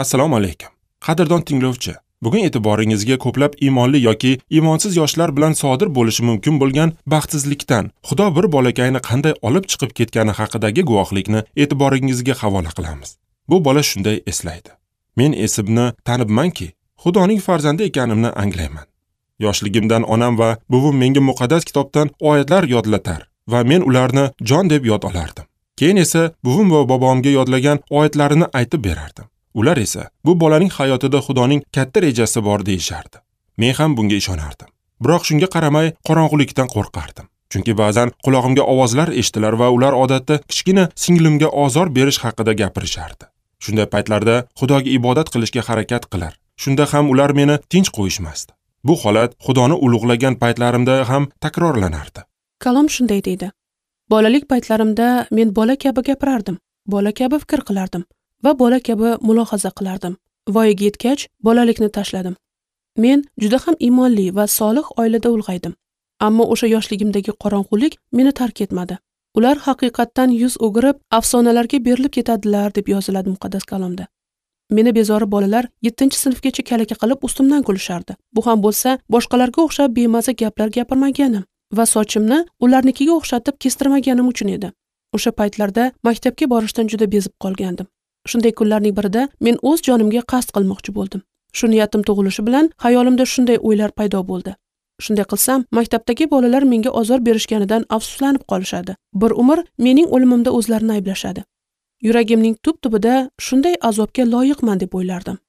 Assalomu alaykum. Qadrdon tinglovchi, bugun e'tiboringizga ko'plab iymonli yoki iymonsiz yoshlar bilan sodir bo'lishi mumkin bo'lgan baxtsizlikdan Xudo bir bolakayni qanday olib chiqib ketgani haqidagi guvohlikni e'tiboringizga havola qilamiz. Bu bola shunday eslaydi: Men esimni tanibmanki, Xudoning farzandi ekanimni anglayman. Yoshligimdan onam va buvim menga muqaddas kitobdan oyatlar yodlatar va men ularni jon deb yod olardim. Keyin esa buvim va bobomga yodlagan oyatlarini aytib berardim. Ular esa bu bolaning hayotida Xudoning katta rejasi bor deyishardi. Men ham bunga ishonardim. Biroq shunga qaramay qorong'ulikdan qo'rqardim. Chunki ba'zan qulog'imga ovozlar eshitilar va ular odatda kichkina singlimga ozor berish haqida gapirishardi. Shunday paytlarda Xudoga ibodat qilishga harakat qilar. Shunda ham ular meni tinch qo'yishmasdi. Bu holat Xudoni ulug'lagan paytlarimda ham takrorlanardi. Kalom shunday deydi: Bolalik paytlarimda men bola kabi gapirardim, bola kabi fikr qilardim va bola kabi mulohaza qilardim. Voyaga yetgach, bolalikni tashladim. Men juda ham iymonli va solih oilada ulg'aydim. Ammo o'sha yoshligimdagi qorong'ulik meni tark etmadi. Ular haqiqatdan yuz o'girib, afsonalarga berilib ketadilar deb yoziladi muqaddas kalomda. Meni bezori bolalar 7-sinfgacha kalaka qilib ustimdan kulishardi. Bu ham bo'lsa, boshqalarga o'xshab bemaza gaplar gapirmaganim va sochimni ularnikiga o'xshatib kestirmaganim uchun edi. O'sha paytlarda maktabga borishdan juda bezib qolgandim. Shunday kunlarning birida men o'z jonimga qasd qilmoqchi bo'ldim. Shu niyatim tug'ilishi bilan xayolimda shunday o'ylar paydo bo'ldi. Shunday qilsam, maktabdagi bolalar menga ozor berishganidan afsuslanib qolishadi. Bir umr mening o'limimda o'zlarini ayblashadi. Yuragimning tub-tubida shunday azobga loyiqman deb o'ylardim.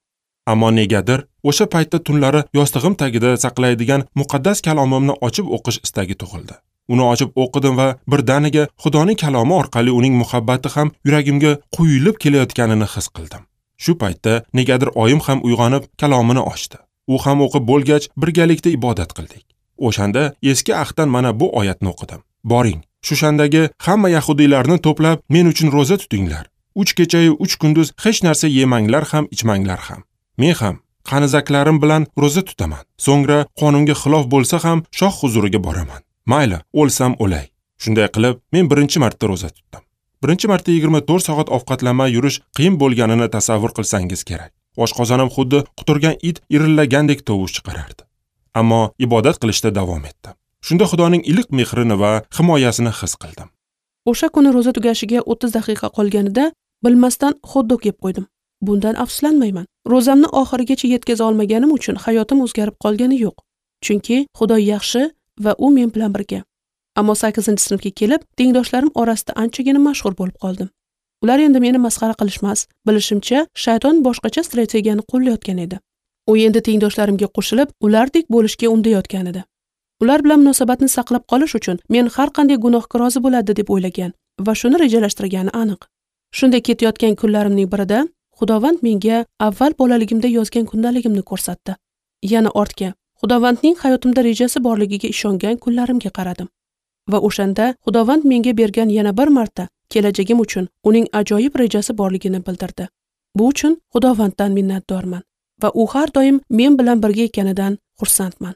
Ammo negadir o'sha paytda tunlari yostig'im tagida saqlaydigan muqaddas kalomimni ochib o'qish istagi tug'ildi. Uni ochib o'qidim va birdaniga Xudoning kalomi orqali uning muhabbati ham yuragimga quyilib kelayotganini his qildim. Shu paytda negadir oyim ham uyg'onib kalomini ochdi. U ham o'qib bo'lgach birgalikda ibodat qildik. O'shanda eski ahddan mana bu oyatni o'qidim. Boring, Shushandagi hamma yahudiylarni to'plab men uchun roza tutinglar. 3 kechayu 3 kunduz hech narsa yemanglar ham, ichmanglar ham. Men ham qanizaklarim bilan roza tutaman. So'ngra qonunga xilof bo'lsa ham shoh huzuriga boraman. Mayli, o'lsam o'lay. Shunday qilib, men birinchi marta roza tutdim. Birinchi marta 24 soat ovqatlanmay yurish qiyin bo'lganini tasavvur qilsangiz kerak. Oshqozonim xuddi quturgan it irillagandek tovush chiqarardi. Ammo ibodat qilishda davom etdim. Shunda Xudoning iliq mehrini va himoyasini his qildim. O'sha kuni roza tugashiga 30 daqiqa qolganida bilmasdan xot-dog yeb qo'ydim. Bundan afsuslanmayman. Rozamni oxirigacha yetkaza olmaganim uchun hayotim o'zgarib qolgani yo'q. Chunki Xudo yaxshi va u men bilan birga. Ammo 8-sinfga kelib, tengdoshlarim orasida anchagina mashhur bo'lib qoldim. Ular endi meni masxara qilishmas. Bilishimcha, shayton boshqacha strategiyani qo'llayotgan edi. U endi tengdoshlarimga qo'shilib, ulardek bo'lishga undayotgan edi. Ular bilan munosabatni saqlab qolish uchun men har qanday gunohga rozi bo'ladi deb o'ylagan va shuni rejalashtirgani aniq. Shunday ketayotgan kunlarimning birida Xudovand menga avval bolaligimda yozgan kundaligimni ko'rsatdi. Yana ortga, Xudovandning hayotimda rejasi borligiga ishongan kunlarimga qaradim. Va o'shanda Xudovand menga bergan yana bir marta kelajagim uchun uning ajoyib rejasi borligini bildirdi. Bu uchun Xudovanddan minnatdorman va u har doim men bilan birga ekanidan xursandman.